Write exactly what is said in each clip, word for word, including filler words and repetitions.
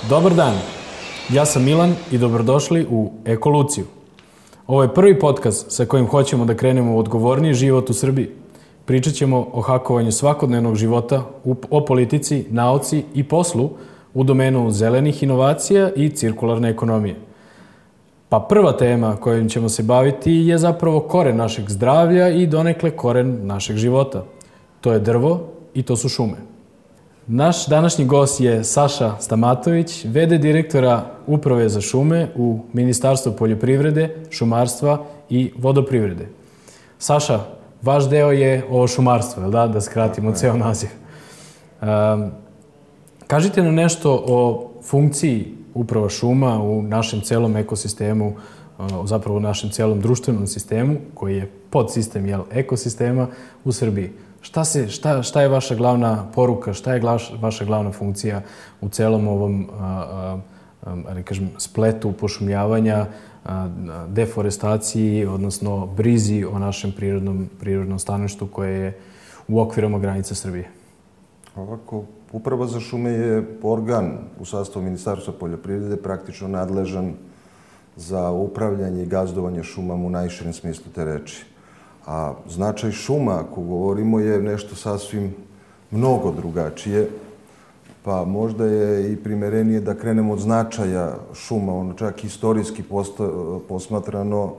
Dobar dan, ja sam Milan i dobrodošli u Ekoluciju. Ovo je prvi podcast sa kojim hoćemo da krenemo u odgovorniji život u Srbiji. Pričat ćemo o hakovanju svakodnevnog života, o politici, nauci i poslu u domenu zelenih inovacija i cirkularne ekonomije. Pa prva tema kojom ćemo se baviti je zapravo koren našeg zdravlja i donekle koren našeg života. To je drvo i to su šume. Naš današnji gost je Saša Stamatović, ve de direktora Uprave za šume u Ministarstvu poljoprivrede, šumarstva i vodoprivrede. Saša, vaš deo je ovo šumarstvo, jel da? Da skratimo ceo naziv. Um, kažite nam nešto o funkciji uprava šuma u našem celom ekosistemu, zapravo u našem celom društvenom sistemu, koji je podsistem jel, ekosistema u Srbiji. Šta, se, šta, šta je vaša glavna poruka, šta je glaš, vaša glavna funkcija u celom ovom a, a, a, kažem, spletu pošumljavanja, a, deforestaciji, odnosno brizi o našem prirodnom, prirodnom staništu koje je u okvirama granica Srbije? Ovako, Uprava za šume je organ u sastavu Ministarstva poljoprivrede praktično nadležan za upravljanje i gazdovanje šumama u najširem smislu te reči. A značaj šuma, ako govorimo, je nešto sasvim mnogo drugačije, pa možda je i primerenije da krenemo od značaja šuma, ono čak istorijski posta, posmatrano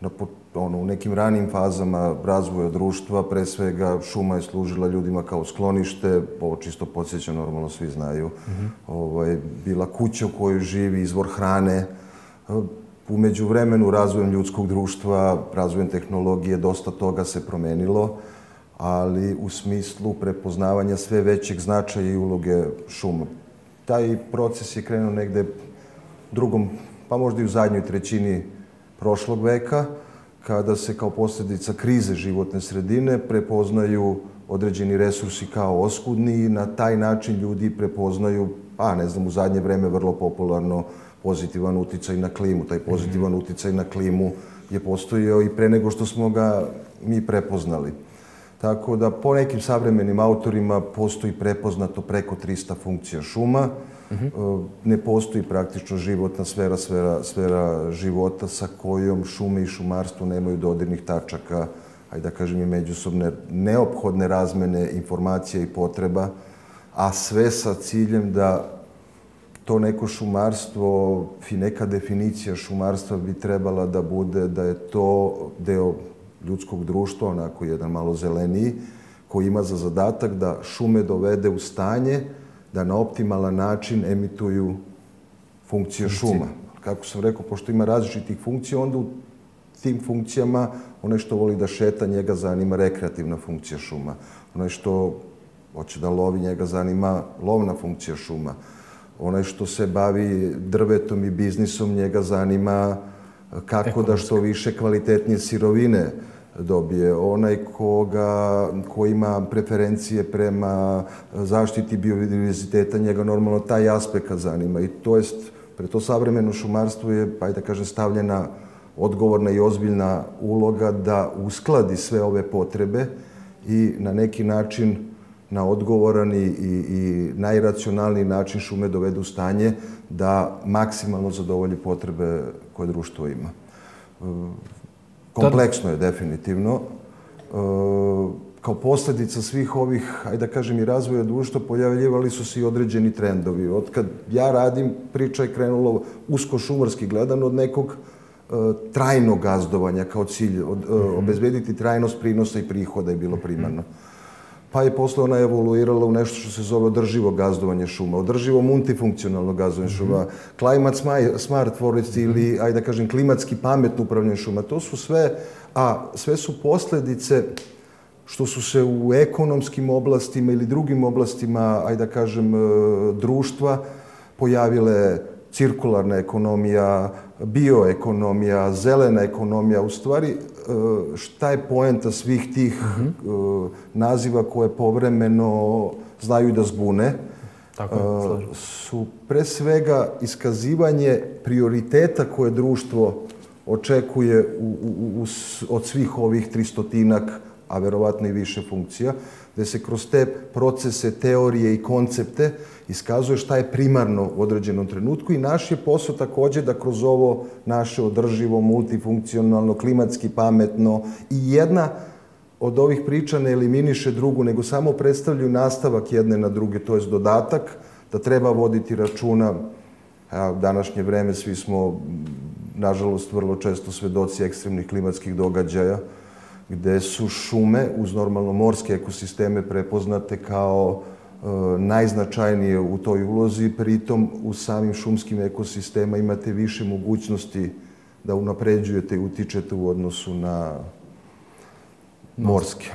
na, ono, u nekim ranim fazama razvoja društva. Pre svega šuma je služila ljudima kao sklonište, ovo čisto podsjeća, normalno svi znaju, mm-hmm. ovaj, bila kuća u kojoj živi, izvor hrane. U međuvremenu razvojem ljudskog društva, razvojem tehnologije, dosta toga se promenilo, ali u smislu prepoznavanja sve većeg značaja i uloge šuma. Taj proces je krenuo negde drugom, pa možda i u zadnjoj trećini prošlog veka, kada se kao posljedica krize životne sredine prepoznaju određeni resursi kao oskudni i na taj način ljudi prepoznaju, pa ne znam, u zadnje vreme vrlo popularno pozitivan uticaj na klimu. Taj pozitivan uticaj na klimu je postojao i pre nego što smo ga mi prepoznali. Tako da po nekim savremenim autorima postoji prepoznato preko trista funkcija šuma. Uh-huh. Ne postoji praktično životna sfera, sfera, sfera života sa kojom šume i šumarstvo nemaju dodirnih tačaka, ajde da kažem i međusobne neophodne razmene informacija i potreba, a sve sa ciljem da to neko šumarstvo i neka definicija šumarstva bi trebala da bude da je to deo ljudskog društva, onako jedan malo zeleniji, koji ima za zadatak da šume dovede u stanje da na optimalan način emituju funkcije šuma. Kako sam rekao, pošto ima različitih funkcija, onda u tim funkcijama onaj što voli da šeta, njega zanima rekreativna funkcija šuma. Onaj što hoće da lovi, njega zanima lovna funkcija šuma. Onaj što se bavi drvetom i biznisom, njega zanima kako da što više kvalitetnije sirovine dobije. Onaj koga, ko ima preferencije prema zaštiti biodiverziteta, njega normalno taj aspekt zanima. I to jest, pre to savremeno šumarstvo je, ajde da kažem, stavljena odgovorna i ozbiljna uloga da uskladi sve ove potrebe i na neki način na odgovoran i, i, i najracionalniji način šume dovedu u stanje da maksimalno zadovolji potrebe koje društvo ima. Kompleksno je definitivno. Kao posljedica svih ovih, ajde da kažem, i razvoja društva pojavljivali su se i određeni trendovi. Od kad ja radim, priča je krenula usko šumarski gledano od nekog trajnog gazdovanja kao cilj. Od, obezbediti trajnost prinosa i prihoda je bilo primarno. Pa je posle ona evoluirala u nešto što se zove održivo gazdovanje šuma, održivo multifunkcionalno gazdovanje šuma, climate smart forest ili, ajde da kažem, klimatski pametno upravljanje šuma. To su sve, a sve su posljedice što su se u ekonomskim oblastima ili drugim oblastima, ajde da kažem, društva pojavile cirkularna ekonomija, bioekonomija, zelena ekonomija. U stvari, šta je poenta svih tih uh-huh. naziva koje povremeno znaju da zbune? Tako je, su pre svega iskazivanje prioriteta koje društvo očekuje u, u, u, od svih ovih tristotinak a verovatno i više funkcija, gde se kroz te procese, teorije i koncepte iskazuje šta je primarno u određenom trenutku i naš je posao takođe da kroz ovo naše održivo, multifunkcionalno, klimatski pametno i jedna od ovih priča ne eliminiše drugu, nego samo predstavljaju nastavak jedne na druge, to je dodatak da treba voditi računa. U današnje vreme svi smo, nažalost, vrlo često svedoci ekstremnih klimatskih događaja, gde su šume uz normalno morske ekosisteme prepoznate kao e, najznačajnije u toj ulozi. Pritom u samim šumskim ekosistema imate više mogućnosti da unapređujete i utičete u odnosu na morske.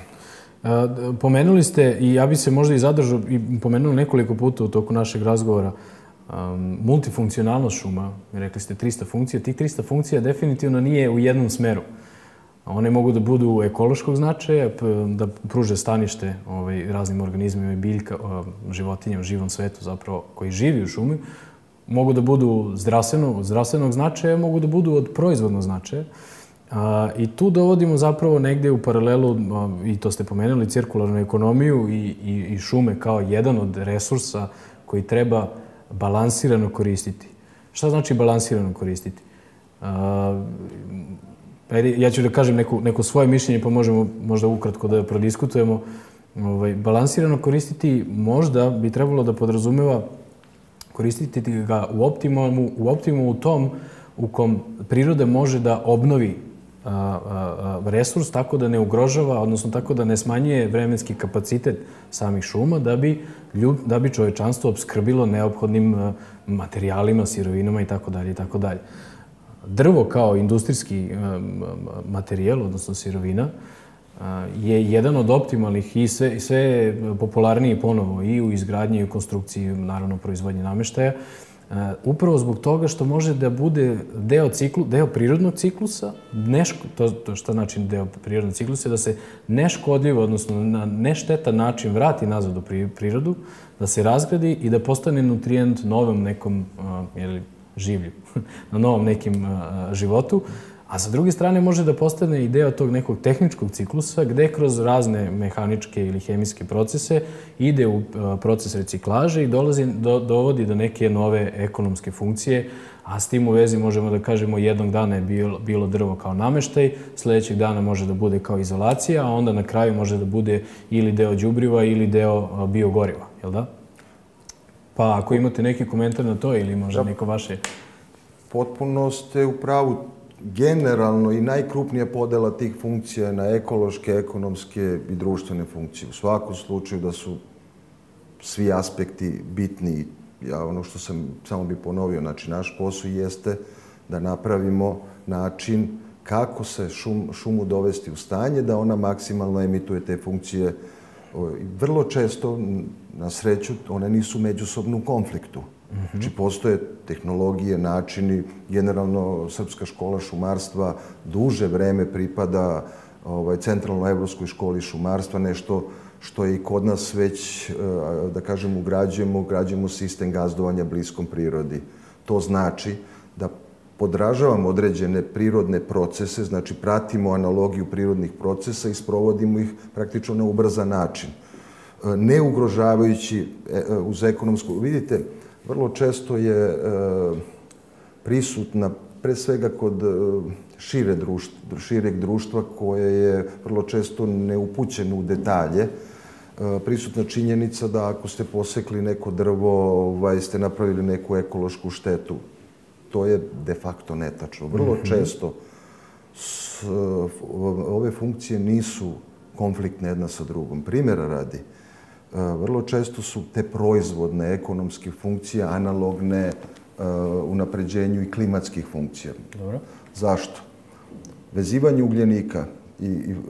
Pomenuli ste, i ja bi se možda i zadržao, i pomenuo nekoliko puta u toku našeg razgovora, um, multifunkcionalnost šuma. Rekli ste trista funkcija. Tih trista funkcija definitivno nije u jednom smeru. One mogu da budu ekološkog značaja, da pruže stanište ovaj, raznim organizmima i biljka, životinjama, živom svetu zapravo, koji živi u šumi. Mogu da budu zdravstveno, zdravstvenog značaja, mogu da budu od proizvodnog značaja. A, I tu dovodimo zapravo negde u paralelu, a, i to ste pomenuli, cirkularnu ekonomiju i, i, i šume kao jedan od resursa koji treba balansirano koristiti. Šta znači balansirano koristiti? A, ja ću da kažem neko, neko svoje mišljenje, pa možemo možda ukratko da prodiskutujemo. Ovaj, balansirano koristiti možda bi trebalo da podrazumeva koristiti ga u optimumu, u optimumu tom u kom priroda može da obnovi a, a, a, resurs tako da ne ugrožava, odnosno tako da ne smanjuje vremenski kapacitet samih šuma, da bi, ljud, da bi čovečanstvo opskrbilo neophodnim a, materijalima, sirovinama i tako dalje i tako dalje. Drvo kao industrijski a, materijal, odnosno sirovina, a, je jedan od optimalnih i sve, sve popularniji ponovo i u izgradnji i u konstrukciji, naravno proizvodnje nameštaja, Uh, upravo zbog toga što može da bude deo, ciklu, deo prirodnog ciklusa, neško, to, to što znači deo prirodnog ciklusa, da se neškodljivo, odnosno na neštetan način vrati nazad u prirodu, da se razgradi i da postane nutrijent novom nekom uh, jeli, življu, na novom nekim uh, životu. A sa druge strane može da postane i deo tog nekog tehničkog ciklusa gde kroz razne mehaničke ili hemijske procese ide u proces reciklaže i dolazi, do, dovodi do neke nove ekonomske funkcije, a s tim u vezi možemo da kažemo jednog dana je bilo, bilo drvo kao nameštaj, sledećeg dana može da bude kao izolacija, a onda na kraju može da bude ili deo đubriva ili deo biogoriva, jel da? Pa ako imate neki komentar na to ili možda neko vaše... Potpuno ste u pravu. Generalno i najkrupnija podela tih funkcija na ekološke, ekonomske i društvene funkcije. U svakom slučaju da su svi aspekti bitni. Ja ono što sam samo bi ponovio, znači naš posao jeste da napravimo način kako se šum, šumu dovesti u stanje da ona maksimalno emituje te funkcije. Vrlo često, na sreću, one nisu međusobno u konfliktu. Znači, postoje tehnologije, načini, generalno Srpska škola šumarstva duže vreme pripada ovaj, Centralno-evropskoj školi šumarstva, nešto što je i kod nas već, da kažem, ugrađujemo, ugrađujemo sistem gazdovanja bliskom prirodi. To znači da podražavamo određene prirodne procese, znači pratimo analogiju prirodnih procesa i sprovodimo ih praktično na ubrzan način. Ne ugrožavajući uz ekonomsku... Vidite, vrlo često je e, prisutna, pre svega kod e, šire društva, šireg društva koje je vrlo često neupućeno u detalje, e, prisutna činjenica da ako ste posekli neko drvo, ovaj, ste napravili neku ekološku štetu. To je de facto netačno. Vrlo često s, ove funkcije nisu konfliktne jedna sa drugom. Primjera radi, vrlo često su te proizvodne ekonomske funkcije analogne uh, unapređenju i klimatskih funkcija. Dobro. Zašto? Vezivanje ugljenika i, i uh,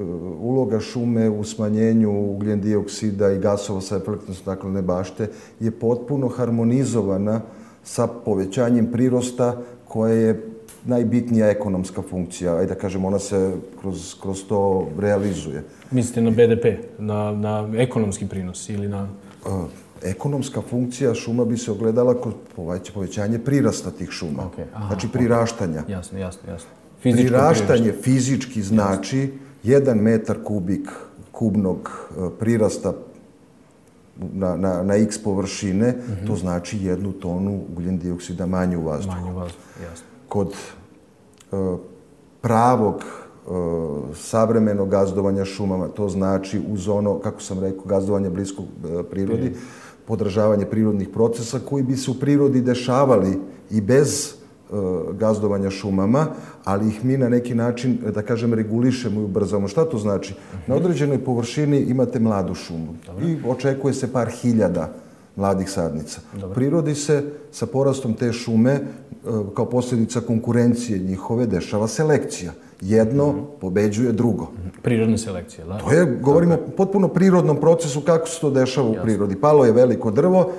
uloga šume u smanjenju ugljen dioksida i gasova sa efektom staklene bašte je potpuno harmonizovana sa povećanjem prirosta koje je najbitnija ekonomska funkcija. Ajde da kažem, ona se kroz, kroz to realizuje. Mislite na be de pe, na, na ekonomski prinos ili na... Uh, ekonomska funkcija šuma bi se ogledala kod povećanje prirasta tih šuma. Okay. Aha, znači priraštanja. Okay. Jasno, jasno, jasno. Fizičko priraštanje fizički znači jedan metar kubik kubnog prirasta na, na, na x površine, mm-hmm. to znači jednu tonu ugljen dioksida manje u vazduhu. Manje u vazduhu, jasno. Kod uh, pravog uh, savremenog gazdovanja šumama, to znači uz ono, kako sam rekao, gazdovanje blisko uh, prirodi, mm. podržavanje prirodnih procesa koji bi se u prirodi dešavali i bez uh, gazdovanja šumama, ali ih mi na neki način, da kažem, regulišemo i ubrzamo. Šta to znači? Mm-hmm. Na određenoj površini imate mladu šumu. Dobre. I očekuje se par hiljada mladih sadnica. Dobre. U prirodi se sa porastom te šume, kao posljedica konkurencije njihove, dešava selekcija. Jedno mm-hmm. pobeđuje drugo. Prirodna selekcija, da? To je, govorimo o potpuno prirodnom procesu kako se to dešava u prirodi. Palo je veliko drvo,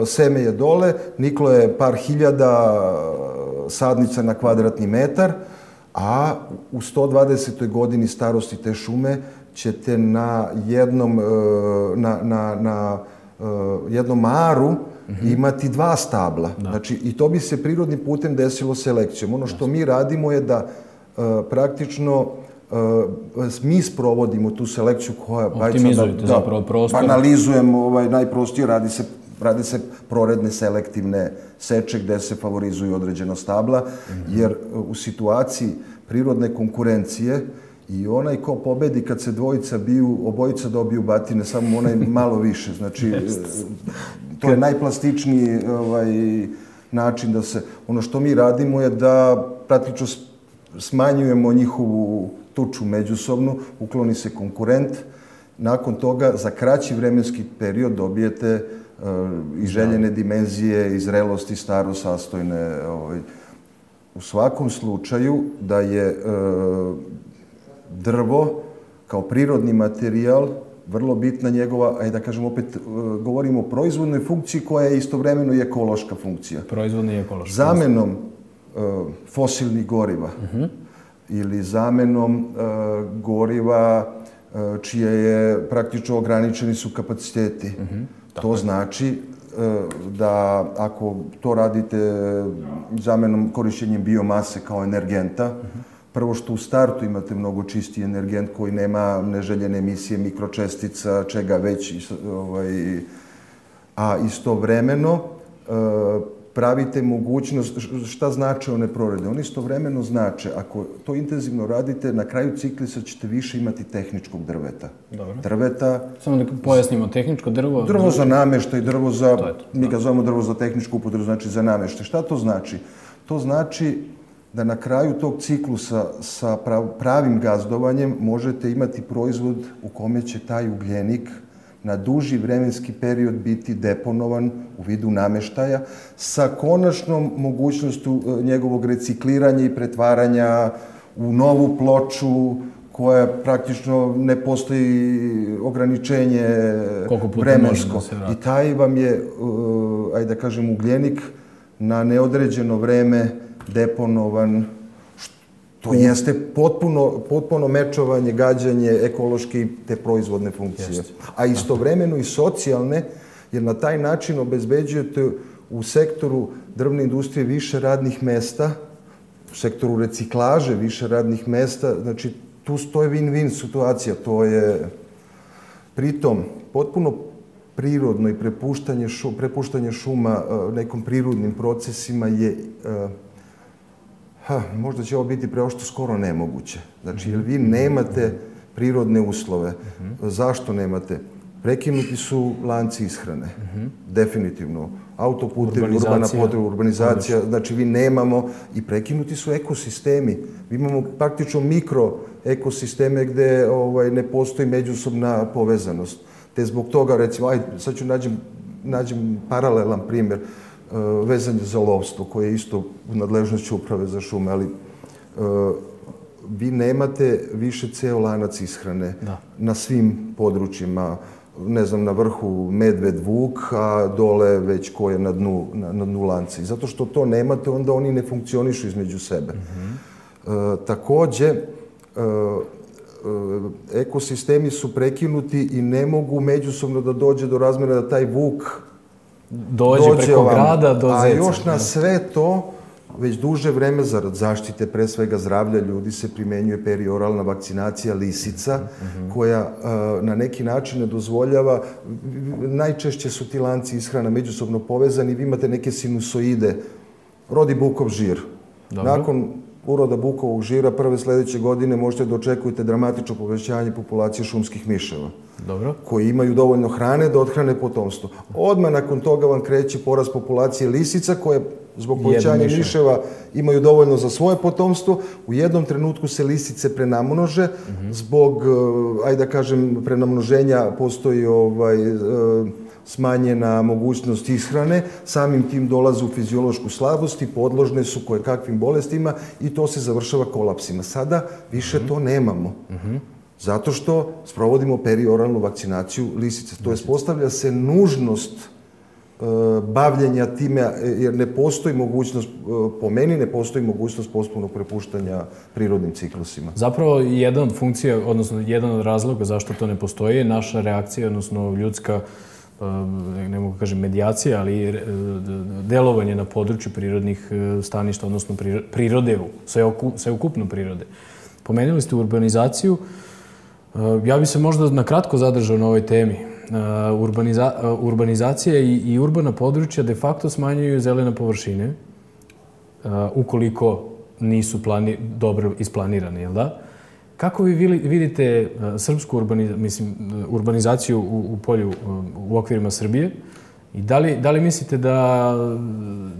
seme je dole, niklo je par hiljada sadnica na kvadratni metar, a u sto dvadesetoj godini starosti te šume ćete na jednom, na, na, na jednom maru mm-hmm. imati dva stabla. Da. Znači, i to bi se prirodnim putem desilo selekcijom. Ono što mi radimo je da uh, praktično uh, mi sprovodimo tu selekciju koja... Optimizujete da, zapravo prostor. Banalizujemo, ovaj, najprostije, radi se, radi se proredne selektivne seče gde se favorizuju određena stabla, mm-hmm. jer uh, u situaciji prirodne konkurencije i onaj ko pobedi kad se dvojica biju, obojica dobiju batine, samo onaj malo više. Znači, to je najplastičniji ovaj, način da se... Ono što mi radimo je da praktično smanjujemo njihovu tuču međusobnu, ukloni se konkurent. Nakon toga, za kraći vremenski period dobijete uh, i željene dimenzije, i zrelosti starosastojne. Ovaj. U svakom slučaju da je uh, drvo kao prirodni materijal vrlo bitna njegova, ajde da kažem opet, govorimo o proizvodnoj funkciji koja je istovremeno i ekološka funkcija. Proizvodna i ekološka. Zamenom uh, fosilnih goriva uh-huh. ili zamenom uh, goriva uh, čije je praktično ograničeni su kapaciteti. Uh-huh. To znači uh, da ako to radite zamenom korišćenjem biomase kao energenta, uh-huh. prvo što u startu imate mnogo čistiji energent koji nema neželjene emisije mikročestica, čega već, ovaj, a istovremeno pravite mogućnost, šta znače one prorade? One istovremeno znače, ako to intenzivno radite, na kraju ciklisa ćete više imati tehničkog drveta. Dobro. Drveta... Samo da pojasnimo, tehničko drvo... Drvo za namještaj, drvo za... To je to, mi ga zovemo drvo za tehničku upotrebu, znači za namještaj. Šta to znači? To znači da na kraju tog ciklusa sa pravim gazdovanjem možete imati proizvod u kome će taj ugljenik na duži vremenski period biti deponovan u vidu namještaja sa konačnom mogućnostu njegovog recikliranja i pretvaranja u novu ploču koja praktično ne postoji ograničenje vremensko. I taj vam je, ajde da kažem, ugljenik na neodređeno vreme deponovan, to jeste potpuno, potpuno mečovanje, gađanje ekološke te proizvodne funkcije. Jeste. A istovremeno i socijalne, jer na taj način obezbeđujete u sektoru drvne industrije više radnih mesta, u sektoru reciklaže više radnih mesta, znači tu stoje win-win situacija, to je pritom potpuno prirodno i prepuštanje, šu, prepuštanje šuma uh, nekom prirodnim procesima je uh, Ha, možda će ovo biti preošto skoro nemoguće. Znači, jer vi nemate prirodne uslove. Uh-huh. Zašto nemate? Prekinuti su lanci ishrane. Uh-huh. Definitivno. Autoputevi, urbana potreba, urbanizacija. Znači, vi nemamo i prekinuti su ekosistemi. Vi imamo praktično mikro ekosisteme gde ovaj, ne postoji međusobna povezanost. Te zbog toga, recimo, aj, sad ću nađem, nađem paralelan primjer. Vezanje za lovstvo, koje je isto u nadležnošću uprave za šume, ali uh, vi nemate više ceo lanac ishrane da. Na svim područjima. Ne znam, na vrhu medved, vuk, a dole već ko je na dnu, na, na dnu lanca. I zato što to nemate, onda oni ne funkcionišu između sebe. Mm-hmm. Uh, takođe, uh, uh, ekosistemi su prekinuti i ne mogu međusobno da dođe do razmjera da taj vuk Dođe, dođe preko ovam, grada do zeca. A još na sve to već duže vreme zarad zaštite, pre svega zdravlja ljudi, se primenjuje perioralna vakcinacija lisica, mm-hmm. koja uh, na neki način ne dozvoljava, najčešće su ti lanci ishrana međusobno povezani, vi imate neke sinusoide, rodi bukov žir. Dobro. Nakon uroda bukovog žira prve sledeće godine možete da očekujete dramatično povećanje populacije šumskih miševa. Dobro. Koji imaju dovoljno hrane da othrane potomstvo. Odmah nakon toga vam kreće porast populacije lisica koje zbog povećanja miševa imaju dovoljno za svoje potomstvo. U jednom trenutku se lisice prenamnože. Mm-hmm. Zbog, ajde da kažem, prenamnoženja postoji ovaj, smanjena mogućnost ishrane, samim tim dolaze u fiziološku slabost i podložne su koje kakvim bolestima i to se završava kolapsima. Sada više mm-hmm. to nemamo. Mm-hmm. Zato što sprovodimo perioralnu vakcinaciju lisice. To je, postavlja se nužnost e, bavljenja time, jer ne postoji mogućnost, e, po meni ne postoji mogućnost potpunog prepuštanja prirodnim ciklusima. Zapravo, jedan funkcija, odnosno jedan od razloga zašto to ne postoji je naša reakcija, odnosno ljudska, ne mogu kažem medijacija, ali delovanje na području prirodnih staništa, odnosno prirode, sveukupno prirode. Pomenuli ste urbanizaciju. Ja bih se možda na kratko zadržao na ovoj temi. Urbaniza, urbanizacija i, i urbana područja de facto smanjuju zelene površine ukoliko nisu plani, dobro isplanirane, jel da? Kako vi vidite srpsku urbaniza, mislim, urbanizaciju u, u polju, u okvirima Srbije? I da li, da li mislite da,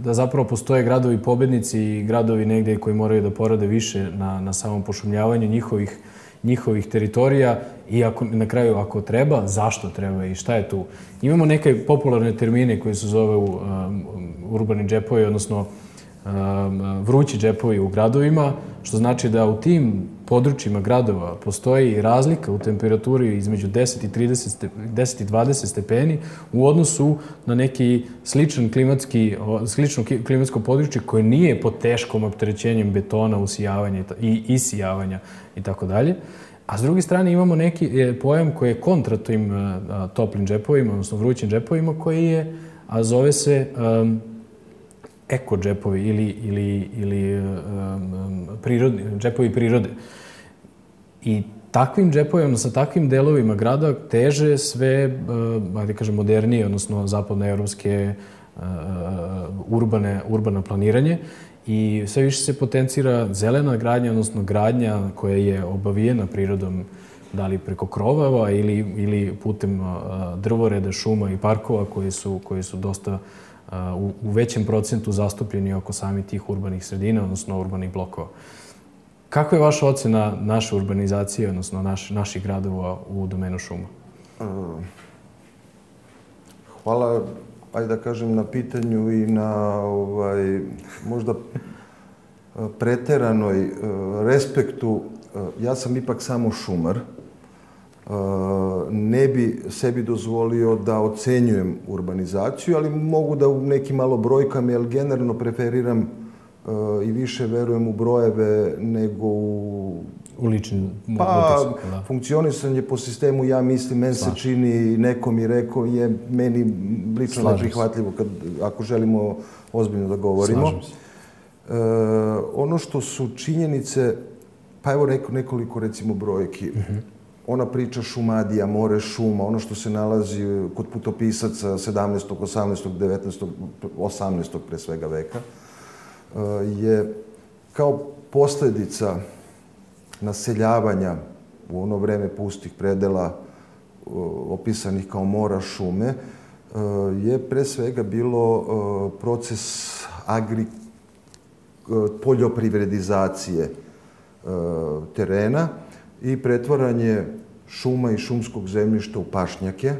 da zapravo postoje gradovi pobednici i gradovi negde koji moraju da porade više na, na samom pošumljavanju njihovih, njihovih teritorija i ako, na kraju ako treba, zašto treba i šta je tu? Imamo neke popularne termine koji se zove um, urbani džepovi, odnosno um, vrući džepovi u gradovima, što znači da u tim područjima gradova postoji razlika u temperaturi između deset i trideset, deset i dvadeset stepeni u odnosu na neki sličan klimatski, slično klimatsko područje koje nije pod teškom opterećenjem betona, usijavanja i isijavanja i tako dalje. A s druge strane imamo neki pojam koji je kontra tim toplim džepovima, odnosno vrućim džepovima, koji je, a zove se um, eko džepovi ili, ili, ili um, prirodni, džepovi prirode. I takvim džepovima, sa takvim delovima grada teže sve, uh, ajde kažem, modernije, odnosno zapadnoevropske uh, urbane, urbano planiranje. I sve više se potencira zelena gradnja, odnosno gradnja koja je obavijena prirodom, da li preko krovova ili, ili putem uh, drvoreda, šuma i parkova koji su, koji su dosta U, u većem procentu zastupljeni oko sami tih urbanih sredina, odnosno urbanih blokova. Kakva je vaša ocena naše urbanizacije, odnosno naš, naših gradova u domenu šuma? Hvala, ajde da kažem, na pitanju i na ovaj, možda preteranoj respektu. Ja sam ipak samo šumar. Ne bi sebi dozvolio da ocenjujem urbanizaciju, ali mogu da u nekim malo brojkama, jer generalno preferiram i više verujem u brojeve nego u... U lični pa, utisak, funkcionisanje po sistemu ja mislim, meni se čini, neko mi rekao, je meni lično neprihvatljivo kad, ako želimo ozbiljno da govorimo. Slažem se. E, ono što su činjenice, pa evo neko, nekoliko recimo brojki. Uh-huh. Ona priča Šumadija, more šuma, ono što se nalazi kod putopisaca sedamnaestog, osamnaestog, devetnaestog, osamnaestog pre svega veka, je kao posljedica naseljavanja u ono vreme pustih predela opisanih kao mora šume, je pre svega bilo proces agri, poljoprivredizacije terena i pretvaranje šuma i šumskog zemljišta u pašnjake.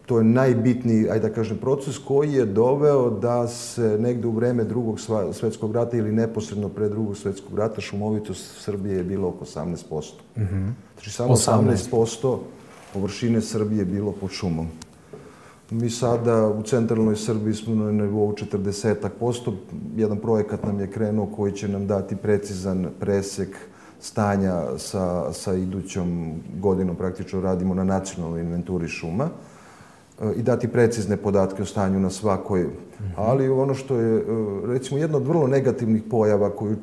To je najbitniji, ajde da kažem, proces koji je doveo da se negde u vreme drugog svetskog rata ili neposredno pre drugog svetskog rata šumovitost Srbije je bilo oko osamnaest posto. Mm-hmm. Znači samo osamnaest posto površine Srbije je bilo pod šumom. Mi sada u centralnoj Srbiji smo na nivou četrdeset posto. Jedan projekat nam je krenuo koji će nam dati precizan presek stanja sa, sa idućom godinom. Praktično radimo na nacionalnoj inventuri šuma. i dati precizne podatke o stanju na svakoj. Ali ono što je, recimo, jedna od vrlo negativnih pojava koju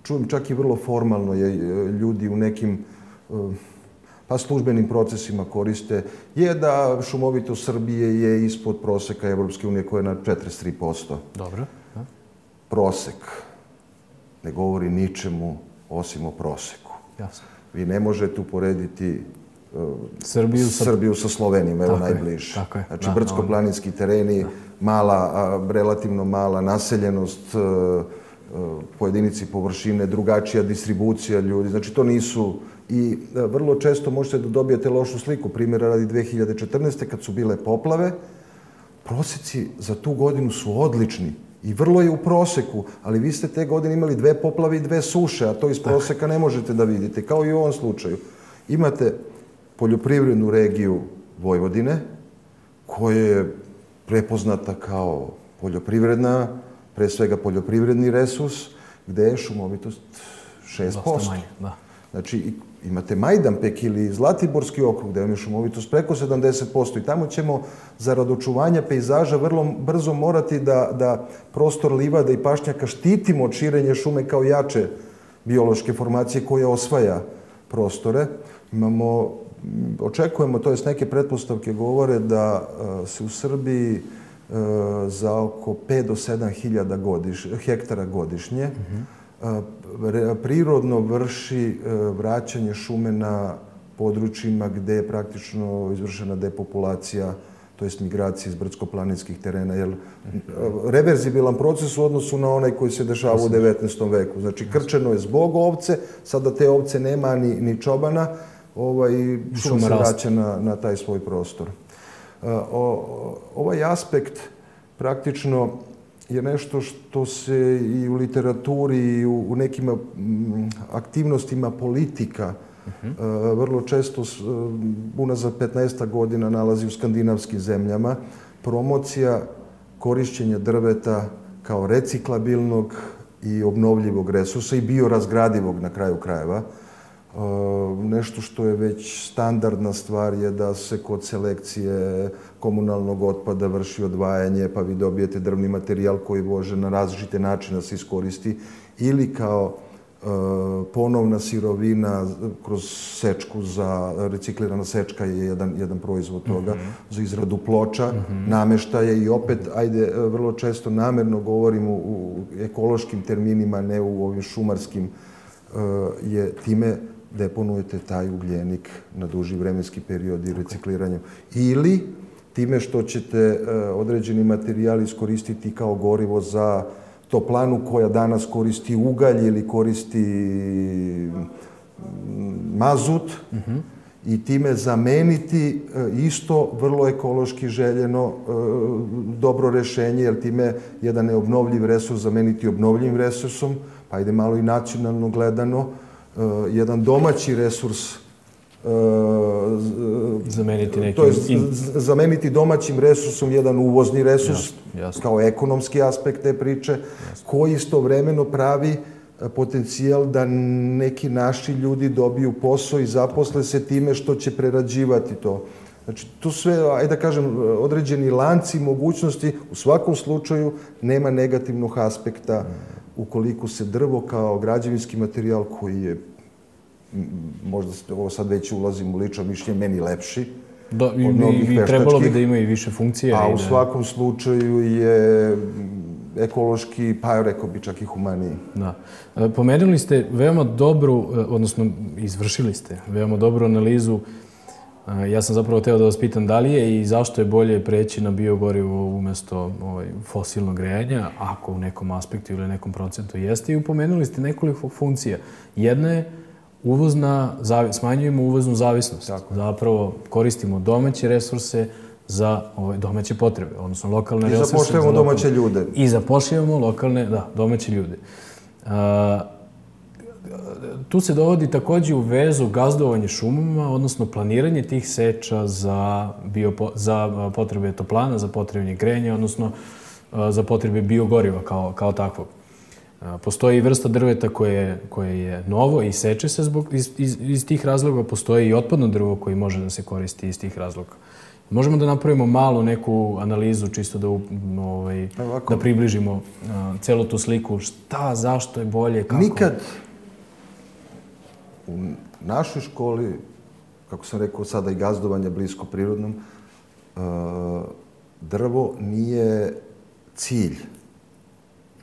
čujem čak i vrlo formalno je ljudi u nekim pa službenim procesima koriste, je da šumovitost Srbije je ispod proseka Evropske unije koja je na četrdeset tri posto. Dobro. Da. Prosek ne govori ničemu osim o proseku. Jasno. Vi ne možete uporediti Srbiju sa, Srbiju sa Slovenijom, evo najbliže. Znači, brdsko-planinski tereni, mala, relativno mala naseljenost, po jedinici površine, drugačija distribucija ljudi. Znači, to nisu... I vrlo često možete da dobijete lošu sliku. Primjera radi dve hiljade četrnaeste. kad su bile poplave, proseci za tu godinu su odlični. I vrlo je u proseku, ali vi ste te godine imali dve poplave i dve suše, a to iz proseka ne možete da vidite, kao i u ovom slučaju. Imate poljoprivrednu regiju Vojvodine, koja je prepoznata kao poljoprivredna, pre svega poljoprivredni resurs, gde je šumovitost šest posto. Dosta manje, da. Znači, imate Majdanpek ili Zlatiborski okrug, gde vam je šumovitost preko sedamdeset posto i tamo ćemo, zarad očuvanja pejzaža, vrlo brzo morati da, da prostor livada i pašnjaka štitimo od širenja šume kao jače biološke formacije koja osvaja prostore. Imamo, očekujemo, to jest neke pretpostavke govore da se u Srbiji za oko pet do sedam hiljada hektara godišnje prirodno vrši vraćanje šume na područjima gde je praktično izvršena depopulacija, to jest migracija iz brdsko-planinskih terena. Jer reverzibilan proces u odnosu na onaj koji se dešava u devetnaestom veku. Znači, krčeno je zbog ovce, sada te ovce nema ni, ni čobana, ovaj, šuma se vraća na, na taj svoj prostor. O, ovaj aspekt praktično je nešto što se i u literaturi i u, u nekim aktivnostima politika uh-huh. vrlo često unazad petnaestak godina nalazi u skandinavskim zemljama. Promocija korišćenja drveta kao reciklabilnog i obnovljivog resursa i biorazgradivog na kraju krajeva. Nešto što je već standardna stvar je da se kod selekcije komunalnog otpada vrši odvajanje, pa vi dobijete drvni materijal koji može na različite načine da se iskoristi ili kao ponovna sirovina kroz sečku, za reciklirana sečka je jedan, jedan proizvod toga, za izradu ploča, nameštaje i opet, ajde, vrlo često namerno govorim u, u ekološkim terminima, ne u ovim šumarskim, je time deponujete taj ugljenik na duži vremenski period i recikliranjem. Ili time što ćete određeni materijal iskoristiti kao gorivo za toplanu koja danas koristi ugalj ili koristi mazut uh-huh. i time zameniti isto vrlo ekološki željeno dobro rešenje, jer time jedan neobnovljiv resurs zameniti obnovljivim resursom, pa ide malo i nacionalno gledano, jedan domaći resurs zameniti nekim... To je zameniti domaćim resursom jedan uvozni resurs, jasno, jasno. Kao ekonomski aspekt te priče, jasno. Koji istovremeno pravi potencijal da neki naši ljudi dobiju posao i zaposle se time što će prerađivati to. Znači, tu sve, ajde da kažem, određeni lanci mogućnosti, u svakom slučaju nema negativnog aspekta ukoliko se drvo kao građevinski materijal koji je, možda ovo sad već ulazim u lično mišljenje, meni lepši. Da, i, i, i trebalo bi da ima i više funkcije. A u da... svakom slučaju je ekološki, pa rekao bi čak i humaniji. Da. Pomenuli ste veoma dobru, odnosno izvršili ste veoma dobru analizu. Ja sam zapravo hteo da vas pitam da li je i zašto je bolje preći na biogorivo umjesto ovaj, fosilnog grejanja, ako u nekom aspektu ili nekom procentu jeste. I upomenuli ste nekoliko funkcija. Jedna je uvozna, smanjujemo uvoznu zavisnost. Tako. Zapravo koristimo domaće resurse za ove domaće potrebe, odnosno lokalne resurse. I zapošljavamo domaće ljude. I zapošljavamo lokalne, da, domaće ljude. A, tu se dovodi također u vezu gazdovanje šumama, odnosno planiranje tih seča za, bio, za potrebe toplana, za potrebe grejanja, odnosno za potrebe biogoriva kao, kao takvog. Postoji i vrsta drveta koje, koje je novo i seče se zbog, iz, iz, iz tih razloga. Postoji i otpadno drvo koji može da se koristi iz tih razloga. Možemo da napravimo malu neku analizu, čisto da, ovaj, da približimo a, celu tu sliku. Šta, zašto je bolje, kako? Nikad u našoj školi, kako sam rekao sada i gazdovanje blisko prirodnom, a, drvo nije cilj.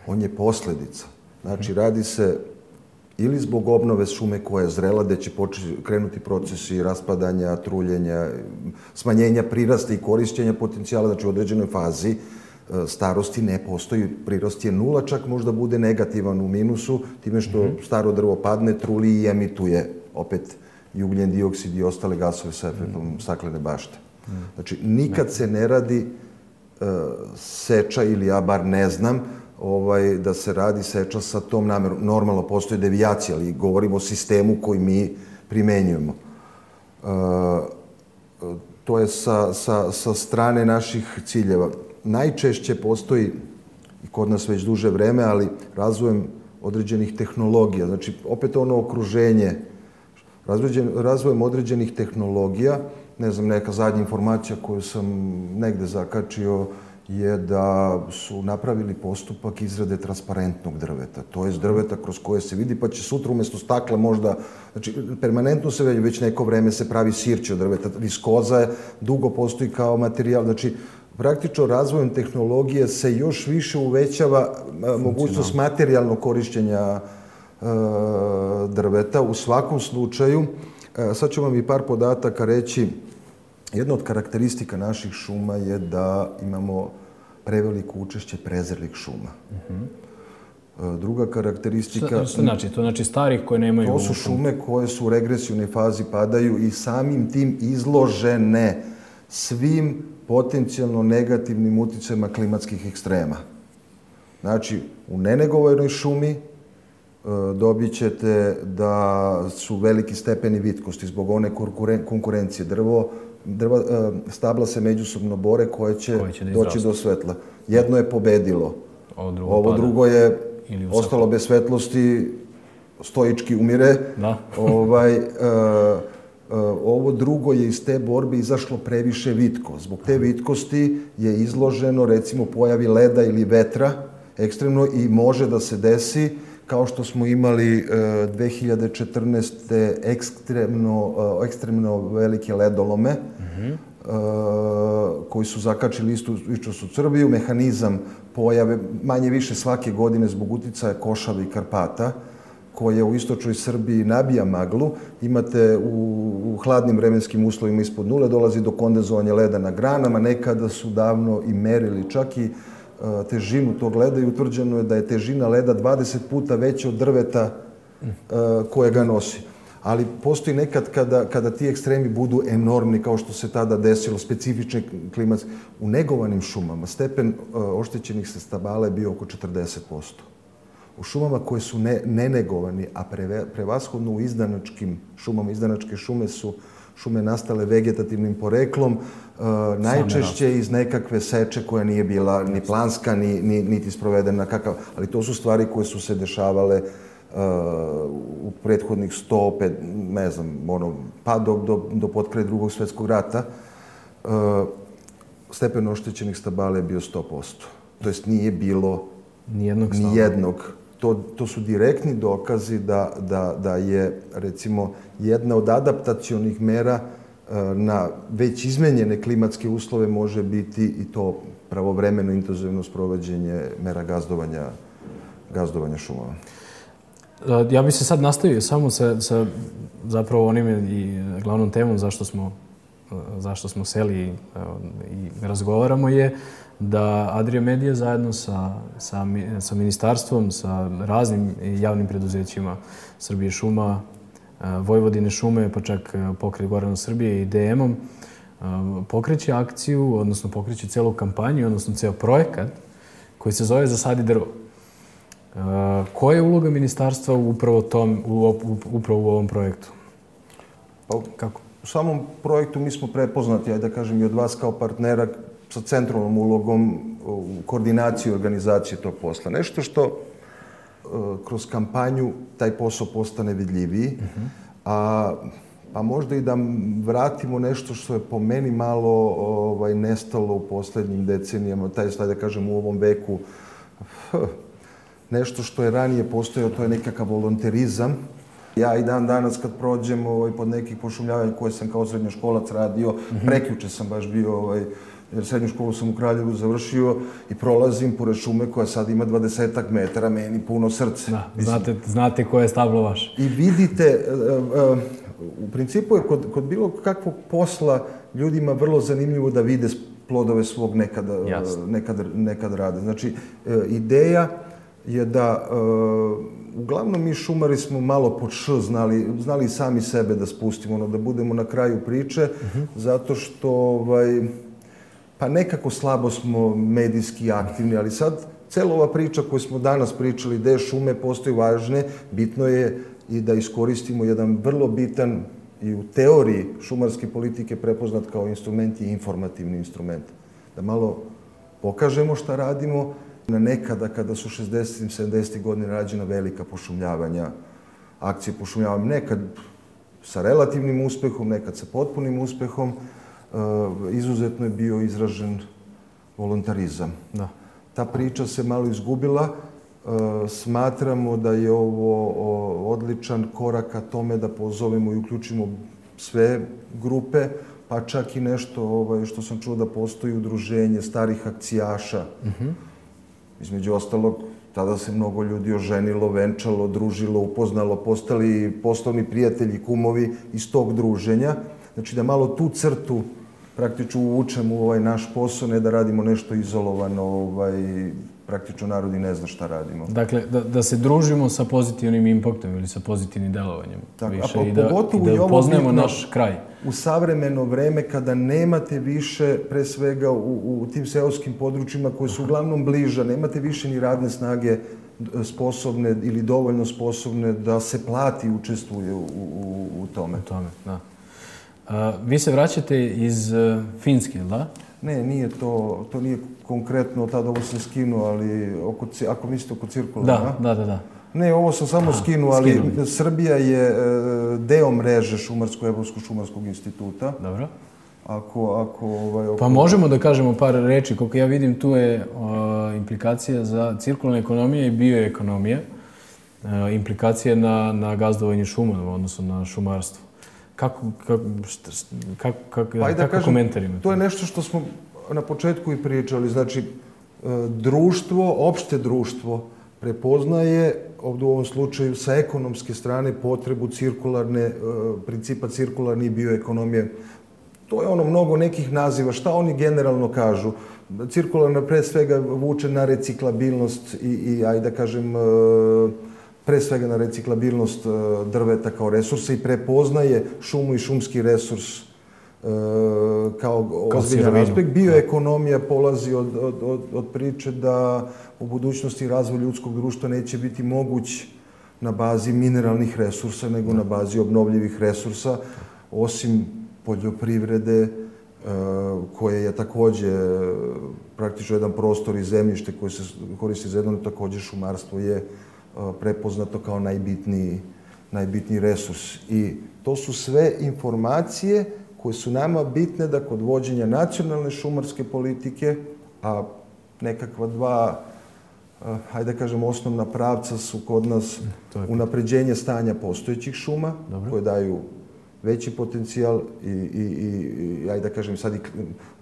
On je posljedica. Znači, radi se ili zbog obnove šume koja je zrela, gde će početi krenuti procesi raspadanja, truljenja, smanjenja prirasta i korišćenja potencijala, znači u određenoj fazi starosti ne postoji. Prirast je nula, čak možda bude negativan u minusu, time što staro drvo padne, truli i emituje opet i ugljen dioksid i ostale gasove sa efektom staklene bašte. Znači, nikad se ne radi seča, ili ja bar ne znam, ovaj, da se radi seča sa tom namerom. Normalno postoji devijacija, ali govorimo o sistemu koji mi primenjujemo. E, to je sa, sa, sa strane naših ciljeva. Najčešće postoji, i kod nas već duže vreme, ali razvojem određenih tehnologija. Znači, opet ono okruženje, razvojem određenih tehnologija, ne znam, neka zadnja informacija koju sam negde zakačio, je da su napravili postupak izrade transparentnog drveta. To je drveta kroz koje se vidi, pa će sutra umjesto stakla možda... Znači, permanentno se već, već neko vreme se pravi sirće od drveta. Viskoza je, dugo postoji kao materijal. Znači, praktično razvojem tehnologije se još više uvećava mogućnost materijalnog korišćenja e, drveta. U svakom slučaju, e, sad ću vam i par podataka reći. Jedna od karakteristika naših šuma je da imamo preveliko učešće prezrelih šuma. Uh-huh. Druga karakteristika... Što, što znači? To znači starih koje nemaju... To su šume koje su u regresivnoj fazi, padaju i samim tim izložene svim potencijalno negativnim uticajima klimatskih ekstrema. Znači, u nenegovanoj šumi dobit ćete da su veliki stepeni vitkosti zbog one konkurencije. Drvo, drva, stabla se međusobno bore koje će, koje će doći do svetla. Jedno je pobedilo. Ovo drugo, Ovo drugo je ostalo bez svetlosti, stoički umire. Da. ovaj, uh, uh, ovo drugo je iz te borbe izašlo previše vitko. Zbog te vitkosti je izloženo, recimo, pojavi leda ili vetra ekstremno i može da se desi, kao što smo imali dve hiljade četrnaeste. ekstremno, ekstremno velike ledolome, uh-huh. koji su zakačili istu istočnu Srbiju. Mehanizam pojave manje više svake godine zbog uticaja Košava i Karpata, koje u istočnoj Srbiji nabija maglu. Imate u, u hladnim vremenskim uslovima ispod nule, dolazi do kondenzovanja leda na granama. Nekada su davno i merili čak i težinu tog leda i utvrđeno je da je težina leda dvadeset puta veća od drveta koje ga nosi. Ali postoji nekad kada, kada ti ekstremi budu enormni, kao što se tada desilo, specifične klimatske. U negovanim šumama stepen oštećenih stabala je bio oko četrdeset posto. U šumama koje su ne, nenegovani, a preve, prevashodno u izdanačkim šumama, izdanačke šume su šume nastale vegetativnim poreklom, uh, najčešće iz nekakve seče koja nije bila ni planska, ni, ni, niti sprovedena kakav, ali to su stvari koje su se dešavale uh, u prethodnih sto, pet, ne znam, ono, pa do, do, do potkraj drugog svjetskog rata. Uh, stepen oštećenih stabala je bio sto posto. To jest nije bilo nijednog. nijednog. To, to su direktni dokazi da, da, da je, recimo, jedna od adaptacionih mera na već izmenjene klimatske uslove može biti i to pravovremeno intenzivno sprovođenje mera gazdovanja, gazdovanja šumova. Ja bih se sad nastavio samo sa, sa zapravo onime i glavnom temom zašto smo, zašto smo seli i, i razgovaramo je da Adria Media zajedno sa, sa, sa ministarstvom, sa raznim javnim preduzećima Srbije šuma, Vojvodine šume, pa čak Pokret Gorana Srbije i D M-om pokreće akciju, odnosno pokreće celu kampanju, odnosno ceo projekat koji se zove Zasadi drvo. Koja je uloga ministarstva upravo, tom, upravo u ovom projektu? Pa, kako? U samom projektu mi smo prepoznati, ajde da kažem, i od vas kao partnera sa centralnom ulogom u koordinaciji i organizaciji tog posla. Nešto što kroz kampanju taj posao postane vidljiviji. A, pa možda i da vratimo nešto što je po meni malo ovaj, nestalo u poslednjim decenijama, taj slaj da kažem u ovom veku. Nešto što je ranije postojao, to je nekakav volonterizam. Ja i dan danas kad prođem ovaj, pod nekih pošumljavanja koje sam kao srednjoškolac radio, mm-hmm. prekjuče sam baš bio, ovaj, jer srednju školu sam u Kraljevu završio i prolazim pored šume koja sad ima dvadesetak metara, meni puno srce. Da, znate, znate koje je stablo vaše. I vidite, uh, uh, u principu je kod, kod bilo kakvog posla ljudima vrlo zanimljivo da vide plodove svog nekad, nekad, nekad rada. Znači, uh, ideja je da, uh, uglavnom mi šumari smo malo pod š znali, znali sami sebe da spustimo, ono, da budemo na kraju priče, uh-huh. zato što, ovaj, pa nekako slabo smo medijski aktivni, ali sad cela ova priča koju smo danas pričali, gde šume postaju važne, bitno je i da iskoristimo jedan vrlo bitan i u teoriji šumarske politike prepoznat kao instrument i informativni instrument. Da malo pokažemo šta radimo. Na nekada, kada su šezdesetih sedamdesetih godina rađena velika pošumljavanja, akcije pošumljavanja, nekad sa relativnim uspehom, nekad sa potpunim uspehom, izuzetno je bio izražen volontarizam. Da. Ta priča se malo izgubila. Smatramo da je ovo odličan korak ka tome da pozovemo i uključimo sve grupe, pa čak i nešto ovaj, što sam čuo da postoji udruženje starih akcijaša. Uh-huh. Između ostalog, tada se mnogo ljudi oženilo, venčalo, družilo, upoznalo, postali poslovni prijatelji, kumovi iz tog druženja. Znači da malo tu crtu praktično uvučemo u ovaj naš posao, ne da radimo nešto izolovano, ovaj, praktično narod i ne zna šta radimo. Dakle, da, da se družimo sa pozitivnim impaktom ili sa pozitivnim delovanjem. Tako, više, a i da, pogotovo i da upoznajemo naš kraj. U savremeno vreme kada nemate više, pre svega u, u tim seoskim područjima koje su uglavnom bliža, nemate više ni radne snage sposobne ili dovoljno sposobne da se plati učestvuje u, u, u tome. U tome, da. A, vi se vraćate iz uh, Finske, da? Ne, nije to, to nije konkretno, tada ovo sam skinuo, ali oko, ako mislite oko cirkula, da? Da, da, da. Ne, ovo sam samo skinuo, ali skinuli. Srbija je deo mreže Šumarsko-Evropskog šumarskog instituta. Dobro. Ako, ako, ovaj, oko... Pa možemo da kažemo par reči. Koliko ja vidim, tu je o, implikacija za cirkularna ekonomija i bioekonomija. E, implikacija na, na gazdovanje šuma, odnosno na šumarstvo. Kako, kako, šta, kako, kako, pa kako kažem, komentar imate? To je nešto što smo na početku i pričali. Znači, društvo, opšte društvo prepoznaje, ovdje u ovom slučaju sa ekonomske strane, potrebu cirkularne, principa cirkularne i bioekonomije. To je ono mnogo nekih naziva. Šta oni generalno kažu? Cirkularna pre svega vuče na reciklabilnost i, i ajde da kažem, pre svega na reciklabilnost drveta kao resursa i prepoznaje šumu i šumski resurs kao ozbiljan aspekt. Bioekonomija polazi od, od, od, od priče da u budućnosti razvoj ljudskog društva neće biti moguć na bazi mineralnih resursa, nego na bazi obnovljivih resursa, osim poljoprivrede, koje je takođe praktično jedan prostor i zemljište koje se koristi za jedno, takođe šumarstvo je prepoznato kao najbitniji, najbitniji resurs. I to su sve informacije koje su nama bitne da kod vođenja nacionalne šumarske politike, a nekakva dva, hajde da kažem, osnovna pravca su kod nas unapređenje stanja postojećih šuma, Dobro. koje daju veći potencijal i, i, i ajde da kažem, sad i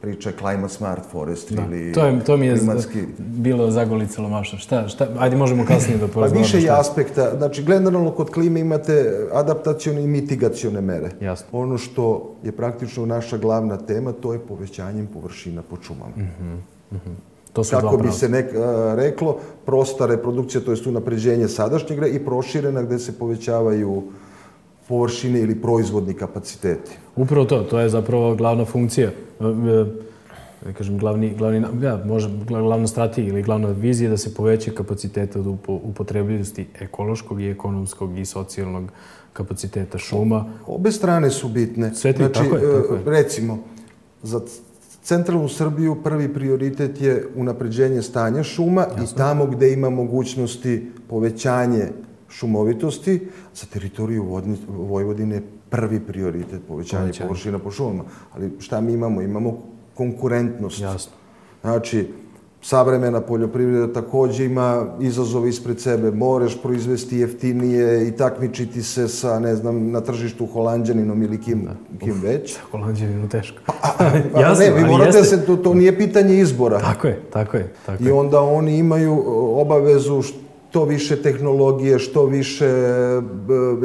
priča climate smart forestry da. ili to je, to mi je klimatski... bilo zagolica lomaša. Šta, šta? Ajde, možemo kasnije da porazgovaramo. Pa više je aspekta. Znači, generalno kod klime imate adaptacione i mitigacione mere. Jasno. Ono što je praktično naša glavna tema, to je povećanjem površina pod šumama. Mm-hmm. Mm-hmm. To su Kako bi se nek, a, reklo, prosta reprodukcija, to je unapređenje sadašnjeg i proširena gde se povećavaju površine ili proizvodni kapaciteti. Upravo to, to je zapravo glavna funkcija, da kažem, glavni, glavni, ja, može, glavna strategija ili glavna vizija da se poveća kapaciteta od upotrebljivosti ekološkog i ekonomskog i socijalnog kapaciteta šuma. Obe strane su bitne. Sve ti, znači, tako je, tako je. Recimo, za centralnu Srbiju prvi prioritet je unapređenje stanja šuma. Jasno. I tamo gde ima mogućnosti povećanje šumovitosti, za teritoriju Vojvodine prvi prioritet povećanje, povećanje površina po šumama. Ali šta mi imamo? Imamo konkurentnost. Jasno. Znači, savremena poljoprivreda takođe ima izazove ispred sebe. Moraš proizvesti jeftinije i takmičiti se sa, ne znam, na tržištu Holanđaninom ili kim, da. kim već. Sa Holanđaninom teško. Pa, a, Jasno, ne, vi morate se, to, to nije pitanje izbora. Tako je, tako je. Tako I onda oni imaju obavezu što više tehnologije, što više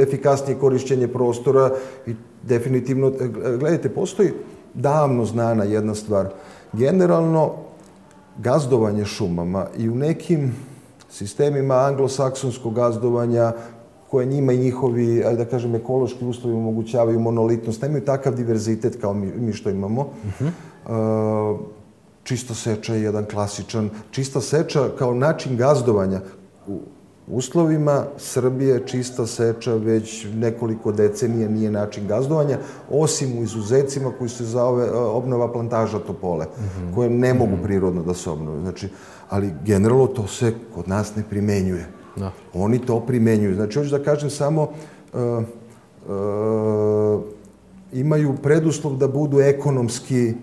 efikasnije korišćenje prostora i definitivno, gledajte, postoji davno znana jedna stvar. Generalno, gazdovanje šumama i u nekim sistemima anglosaksonskog gazdovanja koje njima i njihovi, ajde da kažem, ekološki uslovi omogućavaju monolitnost, nemaju takav diverzitet kao mi, mi što imamo. Uh-huh. Uh, čista seča je jedan klasičan. Čista seča kao način gazdovanja u uslovima Srbije čista seča već nekoliko decenija nije način gazdovanja, osim u izuzecima koji se zove obnova plantaža Topole, mm-hmm. koje ne mogu prirodno da se obnove. Znači, ali generalno to se kod nas ne primenjuje. Da. Oni to primenjuju. Znači, hoću da kažem samo, uh, uh, imaju preduslov da budu ekonomski,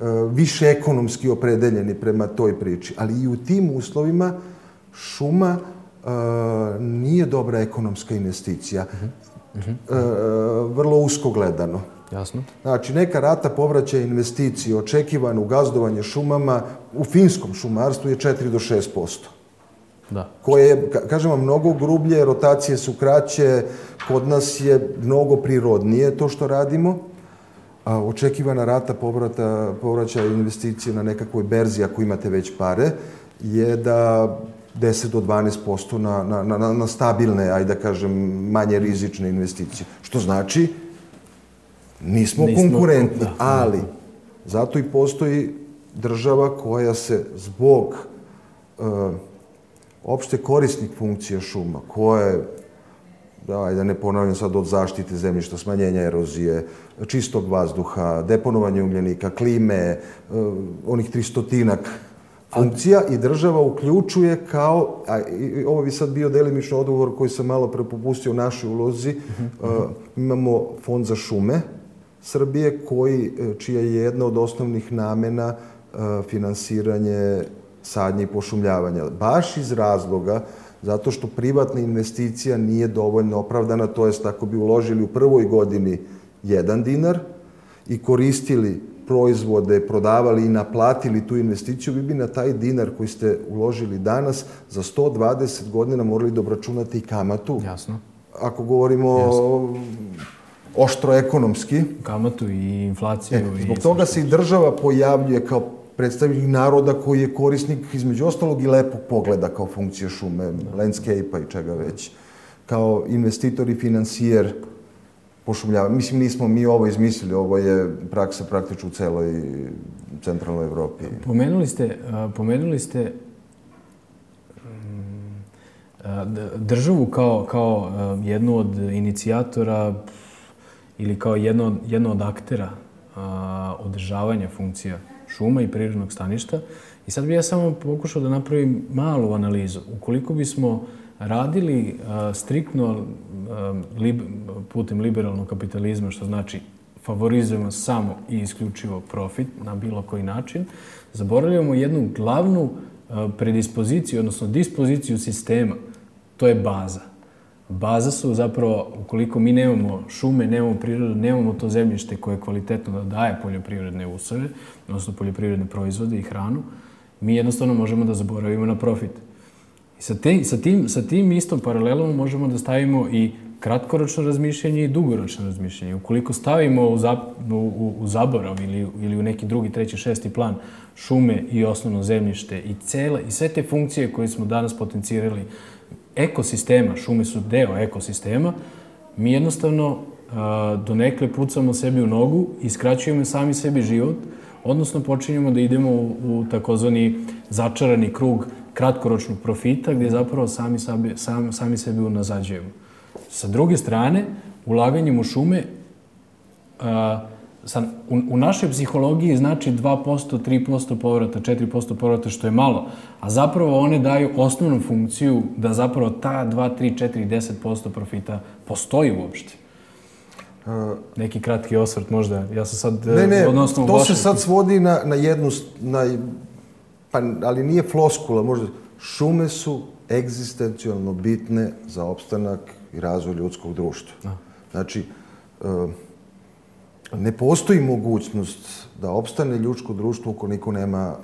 uh, više ekonomski opredeljeni prema toj priči. Ali i u tim uslovima šuma Uh, nije dobra ekonomska investicija. Uh-huh. Uh-huh. Uh, vrlo usko gledano. Jasno. Znači, neka rata povraćaja investicije očekivana u gazdovanje šumama u finskom šumarstvu je četiri do šest posto. Da. Koje je, kažem vam, mnogo grublje, rotacije su kraće, kod nas je mnogo prirodnije to što radimo. A očekivana rata povrata, povraćaja investicije na nekakvoj berzi, ako imate već pare, je da deset do dvanaest posto na, na, na, na stabilne, ajde da kažem, manje rizične investicije. Što znači, nismo, nismo konkurentni, da, ali da. Zato i postoji država koja se zbog uh, opšte korisnih funkcija šuma, koje, da, ajde da ne ponavljam sad, od zaštite zemljišta, smanjenja erozije, čistog vazduha, deponovanja ugljenika, klime, uh, onih tristotinak funkcija i država uključuje kao, a i ovo bi sad bio delimično odgovor koji sam malo prepopustio u našoj ulozi, uh-huh. uh, imamo Fond za šume Srbije, koji, čija je jedna od osnovnih namena uh, finansiranje sadnje i pošumljavanja. Baš iz razloga zato što privatna investicija nije dovoljno opravdana, to jest ako bi uložili u prvoj godini jedan dinar i koristili proizvode, prodavali i naplatili tu investiciju, vi bi na taj dinar koji ste uložili danas za sto dvadeset godina morali da obračunate i kamatu. Jasno. Ako govorimo Jasno. oštro ekonomski. Kamatu i inflaciju. E, zbog i toga se i država pojavljuje kao predstavnik naroda koji je korisnik, između ostalog, i lepog pogleda kao funkcija šume, da. landscape-a i čega već. Kao investitor i finansijer pošumljavanja. Mislim, nismo mi ovo izmislili, ovo je praksa praktično u celoj centralnoj Evropi. Pomenuli ste, pomenuli ste državu kao, kao jednu od inicijatora ili kao jedno, jedno od aktera održavanja funkcija šuma i prirodnog staništa. I sad bih ja samo pokušao da napravim malu analizu. Ukoliko bismo radili uh, striktno uh, lib, putem liberalnog kapitalizma, što znači favorizujemo samo i isključivo profit na bilo koji način, zaboravljamo jednu glavnu uh, predispoziciju, odnosno dispoziciju sistema. To je baza. Baza su zapravo, ukoliko mi nemamo šume, nemamo prirodu, nemamo to zemljište koje kvalitetno da daje poljoprivredne useve, odnosno poljoprivredne proizvode i hranu, mi jednostavno možemo da zaboravimo na profit. I sa, te, sa, tim, sa tim istom paralelom možemo da stavimo i kratkoročno razmišljanje i dugoročno razmišljanje. Ukoliko stavimo u, za, u, u zaborav ili, ili u neki drugi, treći, šesti plan šume i osnovno zemljište i, cele, i sve te funkcije koje smo danas potencirali, ekosistema, šume su deo ekosistema, mi jednostavno uh, donekle pucamo sebi u nogu i skraćujemo sami sebi život, odnosno počinjemo da idemo u, u takozvani začarani krug kratkoročnog profita, gdje zapravo sami, sabi, sam, sami sebi unazađujemo. Sa druge strane, ulaganjem u šume uh, sad, u, u našoj psihologiji znači dva posto, tri posto povrata, četiri posto povrata, što je malo, a zapravo one daju osnovnu funkciju da zapravo ta dva, tri, četiri, deset posto profita postoji uopšte. Neki kratki osvrt možda. Ja sam sad... Ne, ne, odnosno, to se sad svodi na, na jednu, na, pa, ali nije floskula, možda. Šume su egzistencijalno bitne za opstanak i razvoj ljudskog društva. A. Znači, ne postoji mogućnost da opstane ljudsko društvo ukoliko nema,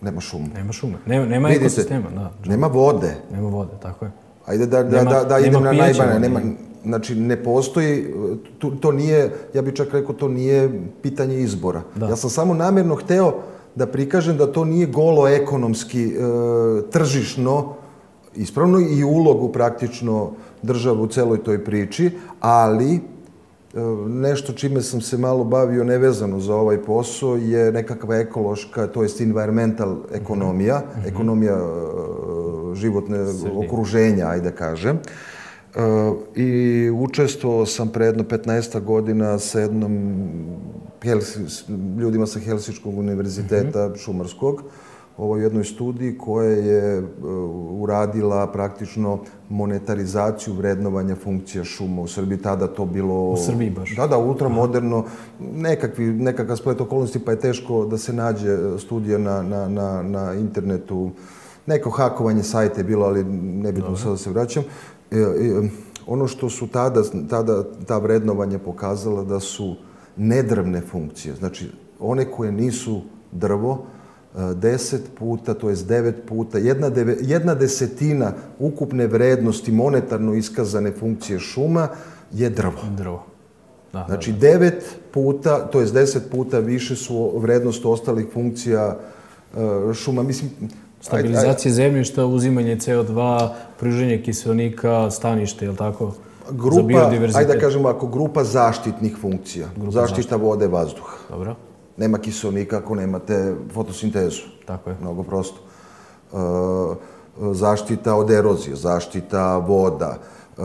nema šume. Nema šume. Nema, nema Vidite, ekosistema. Da, nema vode. Nema vode, tako je. Ajde da, da, nema, da, da idem na najbane. Nema, znači, ne postoji, to, to nije, ja bih čak rekao, to nije pitanje izbora. Da. Ja sam samo namjerno hteo da prikažem da to nije golo ekonomski, e, tržišno, ispravno i ulogu praktično države u celoj toj priči, ali e, nešto čime sam se malo bavio nevezano za ovaj posao je nekakva ekološka, to jest environmental ekonomija, mm-hmm. ekonomija e, životne Srbije. Okruženja, ajde kažem. E, I učestvovao sam pre jedno petnaestak godina sa jednom ljudima sa Helsinškog univerziteta mm-hmm. šumarskog, ovo jednoj studiji koja je uh, uradila praktično monetarizaciju vrednovanja funkcija šuma u Srbiji. Tada to bilo... U Srbiji baš? Da, da, ultramoderno. Nekakvi, nekakav splet okolnosti, pa je teško da se nađe studija na, na, na, na internetu. Neko hakovanje sajta je bilo, ali nebitno sada da se vraćam. E, e, ono što su tada, tada ta vrednovanja pokazala da su nedrvne funkcije, znači one koje nisu drvo, deset puta, to jest devet puta, jedna, deve, jedna desetina ukupne vrednosti monetarno iskazane funkcije šuma je drvo. Drvo. Da, znači da, da. devet puta, to jest deset puta više su vrednost ostalih funkcija šuma. Mislim, stabilizacija zemljišta, uzimanje C O dva, pruženje kiseonika, stanište, je li tako? Grupa, ajde da kažemo, ako grupa zaštitnih funkcija. Grupa zaštita zaštita. Vode, vazduha. Dobro. Nema kiseonika ako nemate fotosintezu. Tako je. Mnogo prosto. E, zaštita od erozije, zaštita voda, e, e,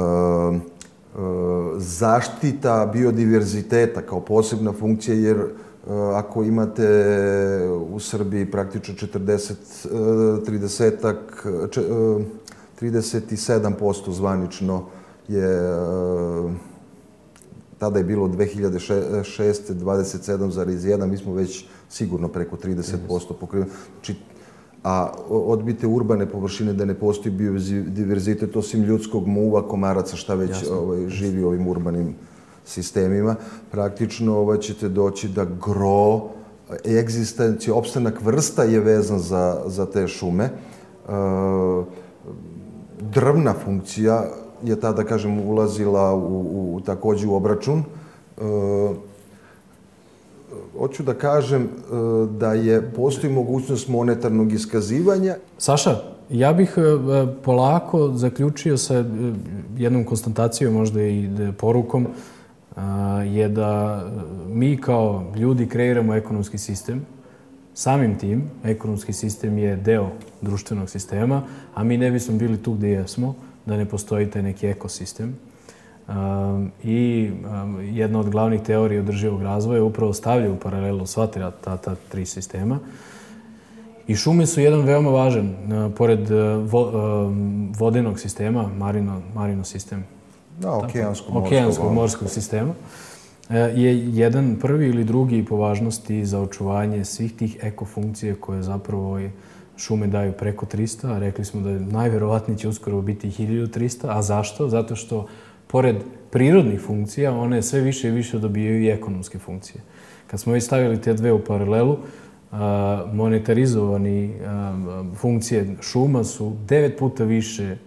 zaštita biodiverziteta kao posebna funkcija, jer e, ako imate u Srbiji praktično četrdeset, tridesetak, trideset sedam posto zvanično je, tada je bilo dve hiljade šeste. dvadeset sedam zarez jedan, mi smo već sigurno preko trideset posto pokriveni. Znači, a odbite urbane površine da ne postoji biodiverzitet osim ljudskog muva, komaraca, šta već ovaj, živi u ovim urbanim sistemima. Praktično ovaj, ćete doći da gro, egzistencija, opstanak vrsta je vezan za, za te šume. E, drvna funkcija je tada, kažem, ulazila u, u, u takođe u obračun. E, hoću da kažem e, da je, postoji mogućnost monetarnog iskazivanja. Saša, ja bih e, polako zaključio sa e, jednom konstatacijom, možda i porukom, e, je da mi kao ljudi kreiramo ekonomski sistem. Samim tim, ekonomski sistem je deo društvenog sistema, a mi ne bismo bili tu gde jesmo da ne postoji taj neki ekosistem. Um, I um, jedna od glavnih teorija održivog razvoja upravo stavlja u paralelu sva ta, ta, ta tri sistema. I šume su jedan veoma važan, uh, pored uh, vo, uh, vodenog sistema, marino, marino sistem. Da, okeanskog, okeanskog morskog sistema. Uh, je jedan prvi ili drugi po važnosti za očuvanje svih tih ekofunkcija koje zapravo je šume daju preko trista, a rekli smo da je najverovatnije će uskoro biti hiljadu trista. A zašto? Zato što, pored prirodnih funkcija, one sve više i više dobijaju i ekonomske funkcije. Kad smo već stavili te dve u paralelu, monetarizovani funkcije šuma su devet puta više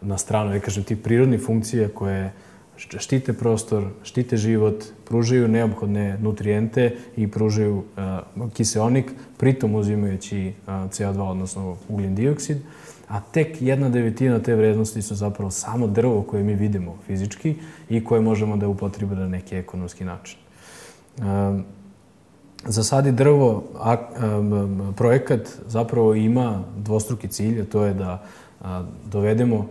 na stranu, ja kažem, tih prirodnih funkcija koje štite prostor, štite život, pružaju neophodne nutrijente i pružaju uh, kiseonik, pritom uzimajući uh, C O dva, odnosno ugljen dioksid, a tek jedna devetina te vrednosti su zapravo samo drvo koje mi vidimo fizički i koje možemo da upotrebimo na neki ekonomski način. Uh, za sad je drvo, a, um, projekat zapravo ima dvostruki cilj, a to je da uh, dovedemo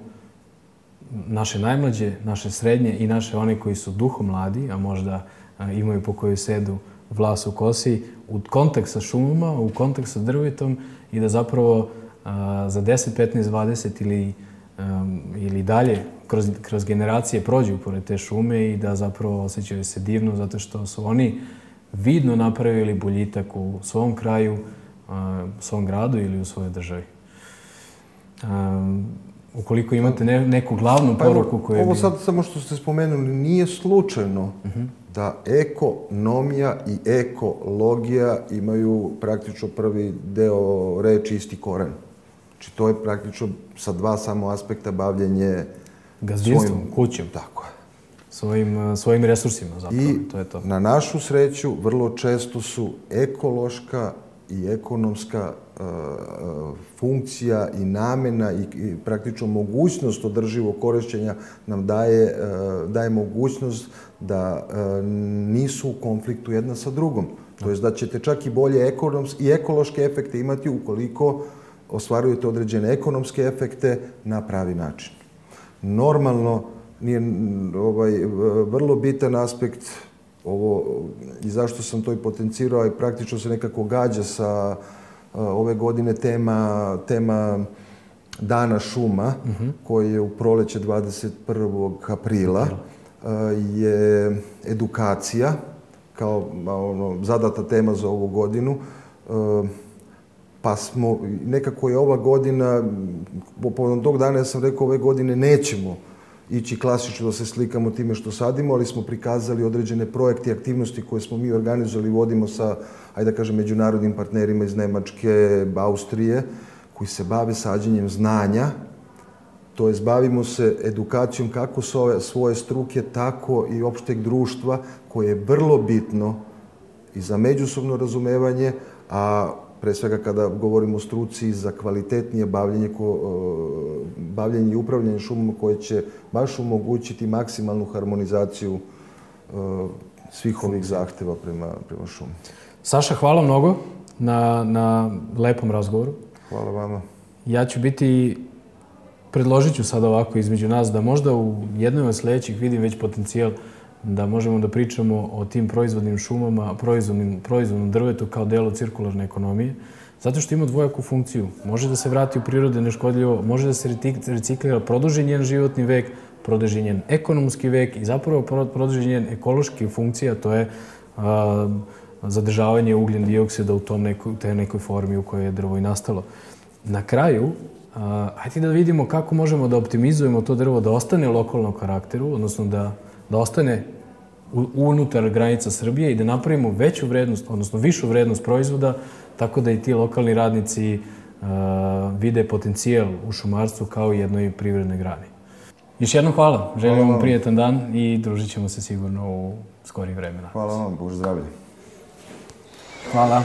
naše najmlađe, naše srednje i naše one koji su duhom mladi, a možda imaju po koju sedu vlas u kosi, u kontakt sa šumama, u kontakt sa drvetom i da zapravo za deset, petnaest, dvadeset ili, ili dalje kroz, kroz generacije prođu pored te šume i da zapravo osjećaju se divno zato što su oni vidno napravili boljitak u svom kraju, u svom gradu ili u svojoj državi. Um, ukoliko imate ne, neku glavnu poruku koju... Ovo bi... sad samo što ste spomenuli, nije slučajno uh-huh. da ekonomija i ekologija imaju praktično prvi deo reči isti koren. Znači to je praktično sa dva samo aspekta bavljenje gazdinstvom, svojim... kućom. Tako je. Svojim, svojim resursima zapravo. I to je to. Na našu sreću vrlo često su ekološka i ekonomska uh, funkcija i namena i, i praktično mogućnost održivog korišćenja nam daje, uh, daje mogućnost da uh, nisu u konfliktu jedna sa drugom. To jest da ćete čak i bolje ekonomske i ekološke efekte imati ukoliko ostvarujete određene ekonomske efekte na pravi način. Normalno, nije ovaj, vrlo bitan aspekt ovo, i zašto sam to i potencirao, i praktično se nekako gađa sa uh, ove godine tema, tema Dana šuma, uh-huh. koji je u proleće dvadeset prvog aprila, uh, je edukacija kao ono, zadata tema za ovu godinu. Uh, pa smo, nekako je ova godina, povodom tog dana ja sam rekao ove godine nećemo ići klasično da se slikamo time što sadimo, ali smo prikazali određene projekte i aktivnosti koje smo mi organizovali i vodimo sa, ajde da kažem, međunarodnim partnerima iz Nemačke, Austrije, koji se bave sađenjem znanja. To jest, bavimo se edukacijom kako svoje struke, tako i opšteg društva, koje je vrlo bitno i za međusobno razumevanje, a pre svega kada govorimo o struci za kvalitetnije bavljenje, ko, bavljenje i upravljanje šumama koje će baš omogućiti maksimalnu harmonizaciju uh, svih ovih zahteva prema, prema šumi. Saša, hvala mnogo na, na lepom razgovoru. Hvala vama. Ja ću biti, predložit ću sad ovako između nas da možda u jednoj od sljedećih vidim već potencijal da možemo da pričamo o tim proizvodnim šumama, proizvodnim, proizvodnom drvetu kao delu cirkularne ekonomije, zato što ima dvojaku funkciju. Može da se vrati u prirode neškodljivo, može da se reciklira, produži njen životni vek, produži njen ekonomski vek i zapravo produži njen ekološki funkcija, to je a, zadržavanje ugljen dioksida u tom nekoj, te nekoj formi u kojoj je drvo i nastalo. Na kraju, a, hajde da vidimo kako možemo da optimizujemo to drvo da ostane lokalnog karakteru, odnosno da da ostane unutar granica Srbije i da napravimo veću vrednost, odnosno višu vrednost proizvoda, tako da i ti lokalni radnici uh, vide potencijal u šumarstvu kao i jednoj privrednoj grani. Još jednom hvala. Želim vam prijetan dan i družit ćemo se sigurno u skorije vremena. Hvala vam. Bože zdravlje. Hvala.